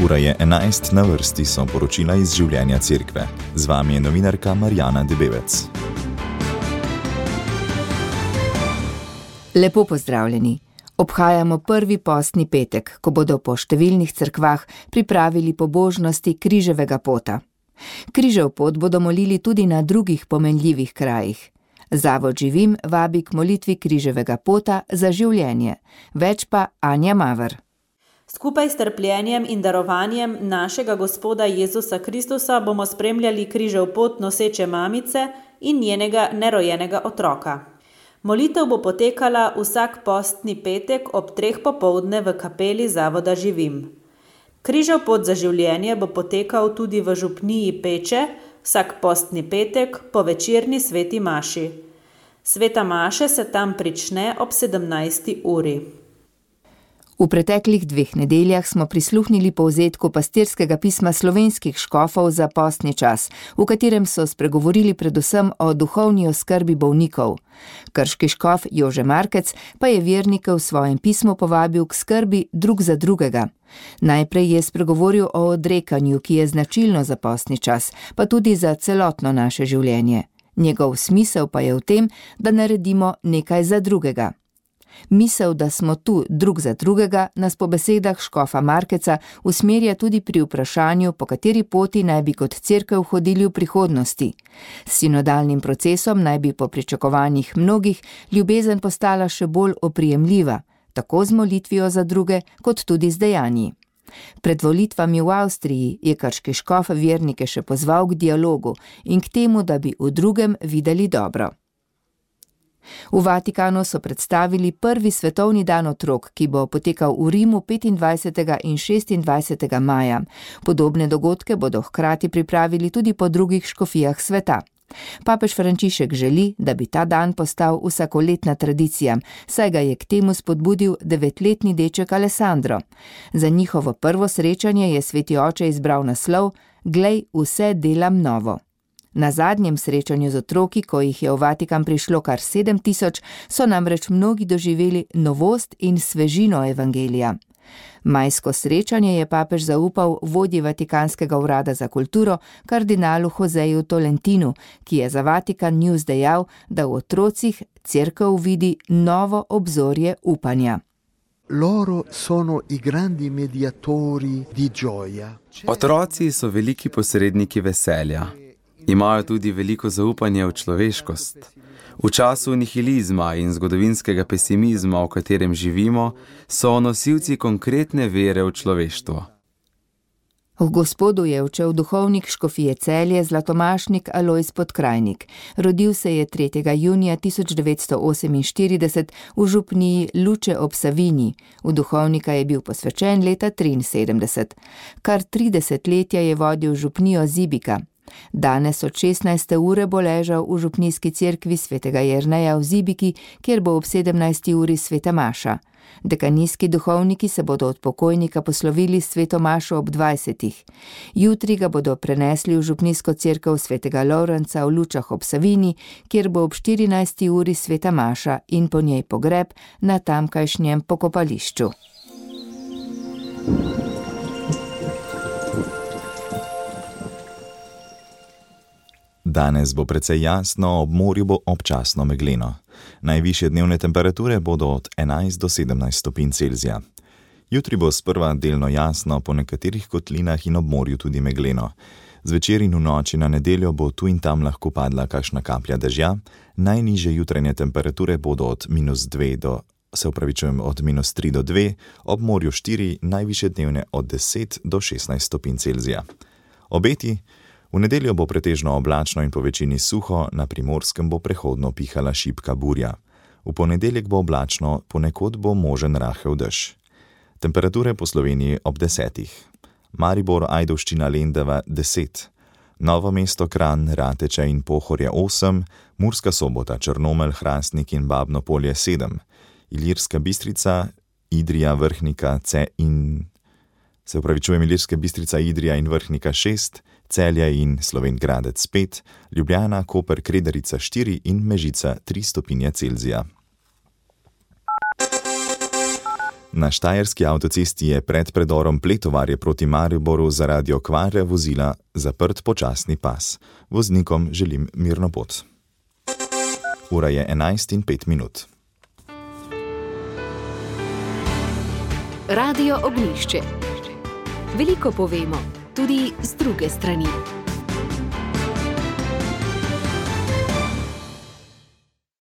Ura je 11, na vrsti so poročila iz življenja cerkve. Z vami je novinarka Marjana Debevec. Lepo pozdravljeni. Obhajamo prvi postni petek, ko bodo po številnih cerkvah pripravili pobožnosti križevega pota. Križev pot bodo molili tudi na drugih pomenljivih krajih. Zavod Živim vabi k molitvi križevega pota za življenje. Več pa Anja Maver. Skupaj s trpljenjem in darovanjem našega Gospoda Jezusa Kristusa bomo spremljali križev pot noseče mamice in njenega nerojenega otroka. Molitev bo potekala vsak postni petek ob 3 popoldne v kapeli Zavoda Živim. Križev pot za življenje bo potekal tudi v župniji Peče vsak postni petek po večerni sveti maši. Sveta maša se tam prične ob 17. uri. V preteklih 2 nedeljah smo prisluhnili povzetku pastirskega pisma slovenskih škofov za postni čas, v katerem so spregovorili predvsem o duhovni oskrbi bolnikov. Krški škof Jože Markec pa je vernike v svojem pismu povabil k skrbi drug za drugega. Najprej je spregovoril o odrekanju, ki je značilno za postni čas, pa tudi za celotno naše življenje. Njegov smisel pa je v tem, da naredimo nekaj za drugega. Misel, da smo tu drug za drugega, nas po besedah škofa Markeca usmerja tudi pri vprašanju, po kateri poti naj bi kot cerkev hodili v prihodnosti. S sinodalnim procesom naj bi po pričakovanjih mnogih ljubezen postala še bolj oprijemljiva, tako z molitvijo za druge, kot tudi z dejanji. Pred volitvami v Avstriji je krški škof vernike še pozval k dialogu in k temu, da bi v drugem videli dobro. V Vatikanu so predstavili prvi svetovni dan otrok, ki bo potekal v Rimu 25. in 26. maja. Podobne dogodke bodo hkrati pripravili tudi po drugih škofijah sveta. Papež Frančišek želi, da bi ta dan postal vsakoletna tradicija, saj ga je k temu spodbudil 9-letni deček Alessandro. Za njihovo prvo srečanje je sveti oče izbral naslov Glej, vse delam novo. Na zadnjem srečanju z otroki, ko jih je v Vatikan prišlo kar 7000, so namreč mnogi doživeli novost in svežino evangelija. Majsko srečanje je papež zaupal vodji Vatikanskega urada za kulturo, kardinalu Joseju Tolentinu, ki je za Vatikan News dejal, da v otrocih cerkev vidi novo obzorje upanja. Loro sono i grandi mediatori di gioia. Otroci so veliki posredniki veselja. Imajo tudi veliko zaupanje v človeškost. V času nihilizma in zgodovinskega pesimizma, v katerem živimo, so nosilci konkretne vere v človeštvo. V Gospodu je učil duhovnik škofije Celje Zlatomašnik Alojz Podkrajnik. Rodil se je 3. junija 1948 v župniji Luče ob Savinji. V duhovnika je bil posvečen leta 1973. Kar 30 letja je vodil župnijo Zibika. Danes od 16. ure bo ležal v župnijski cerkvi svetega Jerneja v Zibiki, kjer bo ob 17. uri sveta maša. Dekanijski duhovniki se bodo od pokojnika poslovili s sveto mašo ob 20. Jutri ga bodo prenesli v župnijsko cerkev svetega Lorenca v Lučah ob Savinji, kjer bo ob 14. uri sveta maša in po njej pogreb na tamkajšnjem pokopališču. Danes bo precej jasno, ob morju bo občasno megleno. Najvišje dnevne temperature bodo od 11 do 17 stopinj Celzija. Jutri bo sprva delno jasno, po nekaterih kotlinah in ob morju tudi megleno. Zvečer in v noči na nedeljo bo tu in tam lahko padla kakšna kaplja dežja. Najnižje jutranje temperature bodo od -3 do 2, ob morju 4, najvišje dnevne od 10 do 16 stopinj Celzija. Obeti: v nedeljo bo pretežno oblačno in po večini suho, na Primorskem bo prehodno pihala šibka burja. V ponedeljek bo oblačno, ponekod bo možen rahel dež. Temperature po Sloveniji ob 10. Maribor, Ajdovščina, Lendava 10. Novo mesto, Kranj, Rateče in Pohorje 8, Murska Sobota, Črnomelj, Hrastnik in Babno Polje 7, Ilirska Bistrica, Idrija, Vrhnika Ilirska Bistrica, Idrija in Vrhnika 6, Celje in Slovenj Gradec 5, Ljubljana, Koper, Kredarica 4 in Mežica 3 stopinje Celzija. Na štajerski avtocesti je pred predorom Pletovarje proti Mariboru zaradi okvare vozila zaprt počasni pas. Voznikom želim mirno pot. Ura je 11:05. Radio Ognjišče. Veliko povemo, tudi z druge strani.